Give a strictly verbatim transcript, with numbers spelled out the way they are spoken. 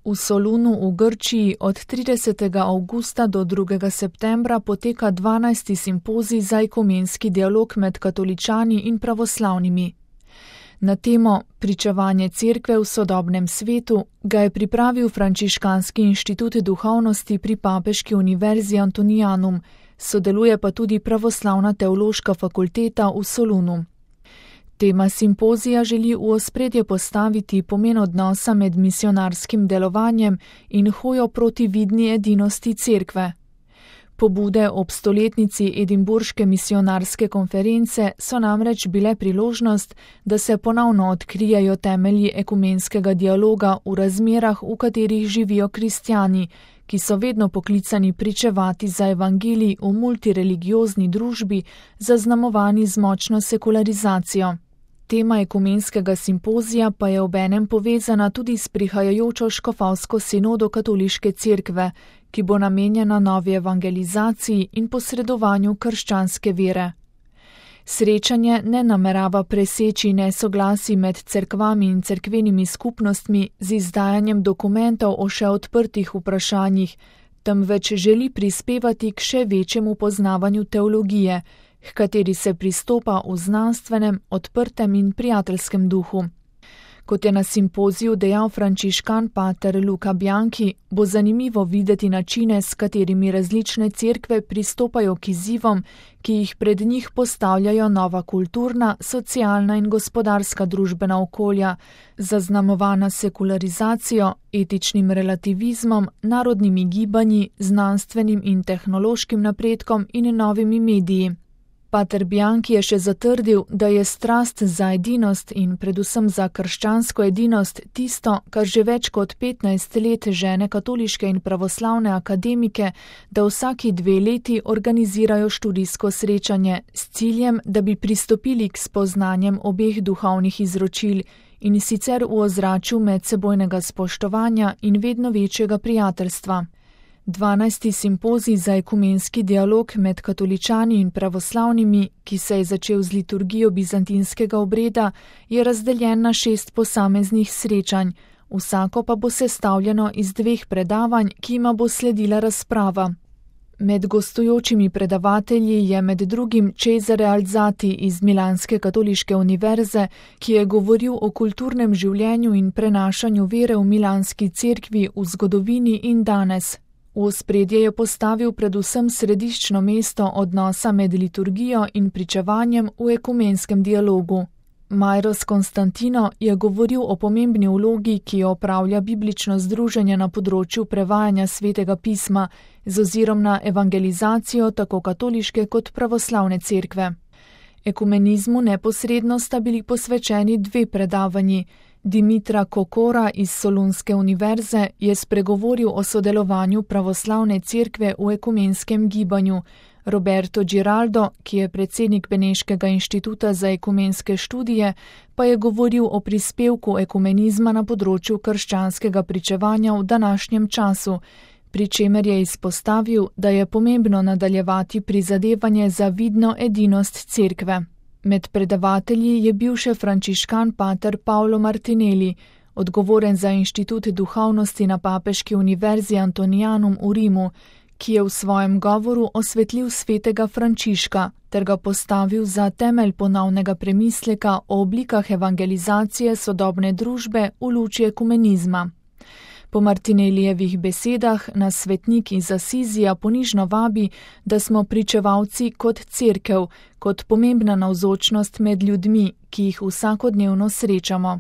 V Solunu v Grčiji od tridesetega avgusta do drugega septembra poteka dvanajsti simpozij za ekumenski dialog med katoličani in pravoslavnimi. Na temo Pričevanje cerkve v sodobnem svetu ga je pripravil Frančiškanski inštitut duhovnosti pri Papeški univerzi Antonianum, sodeluje pa tudi Pravoslavna teološka fakulteta v Solunu. Tema simpozija želi v ospredje postaviti pomen odnosa med misionarskim delovanjem in hojo proti vidni edinosti cerkve. Pobude ob stoletnici Edinburške misionarske konference so namreč bile priložnost, da se ponovno odkrijejo temelji ekumenskega dialoga v razmerah, v katerih živijo kristjani, ki so vedno poklicani pričevati za evangelij v multireligiozni družbi, zaznamovani z močno sekularizacijo. Tema ekumenskega simpozija pa je obenem povezana tudi s prihajajočo škofovsko sinodo katoliške cerkve, ki bo namenjena novi evangelizaciji in posredovanju krščanske vere. Srečanje ne namerava preseči nesoglasij med cerkvami in cerkvenimi skupnostmi z izdajanjem dokumentov o še odprtih vprašanjih, temveč želi prispevati k še večjemu poznavanju teologije, h kateri se pristopa v znanstvenem, odprtem in prijateljskem duhu. Kot je na simpoziju dejal frančiškan pater Luca Bianchi, bo zanimivo videti načine, s katerimi različne cerkve pristopajo k izzivom, ki jih pred njih postavljajo nova kulturna, socialna in gospodarska družbena okolja, zaznamovana sekularizacijo, etičnim relativizmom, narodnimi gibanji, znanstvenim in tehnološkim napredkom in novimi mediji. Pater Bianchi je še zatrdil, da je strast za edinost in predvsem za krščansko edinost tisto, kar že več kot petnajst let žene katoliške in pravoslavne akademike, da vsaki dve leti organizirajo študijsko srečanje s ciljem, da bi pristopili k spoznanjem obeh duhovnih izročil in sicer v ozračju medsebojnega spoštovanja in vedno večjega prijateljstva. dvanajsti simpozij za ekumenski dialog med katoličani in pravoslavnimi, ki se je začel z liturgijo bizantinskega obreda, je razdeljen na šest posameznih srečanj, vsako pa bo sestavljeno iz dveh predavanj, ki jima bo sledila razprava. Med gostujočimi predavatelji je med drugim Cesare Alzati iz Milanske katoliške univerze, ki je govoril o kulturnem življenju in prenašanju vere v milanski cerkvi v zgodovini in danes. V ospredje je postavil predvsem središčno mesto odnosa med liturgijo in pričevanjem v ekumenskem dialogu. Majros Konstantino je govoril o pomembni vlogi, ki jo opravlja biblično združenje na področju prevajanja svetega pisma z ozirom na evangelizacijo tako katoliške kot pravoslavne cerkve. Ekumenizmu neposredno sta bili posvečeni dve predavanji. Dimitra Kokora iz Solunske univerze je spregovoril o sodelovanju pravoslavne cerkve v ekumenskem gibanju. Roberto Giraldo, ki je predsednik Beneškega inštituta za ekumenske študije, pa je govoril o prispevku ekumenizma na področju krščanskega pričevanja v današnjem času, pri čemer je izpostavil, da je pomembno nadaljevati prizadevanje za vidno edinost cerkve. Med predavatelji je bil še frančiškan pater Paolo Martinelli, odgovoren za inštitut duhovnosti na Papeški univerzi Antonianum v Rimu, ki je v svojem govoru osvetlil svetega Frančiška ter ga postavil za temelj ponovnega premisleka o oblikah evangelizacije sodobne družbe v luči ekumenizma. Po Martinelijevih besedah nas svetnik iz Asizija ponižno vabi, da smo pričevalci kot cerkev, kot pomembna navzočnost med ljudmi, ki jih vsakodnevno srečamo.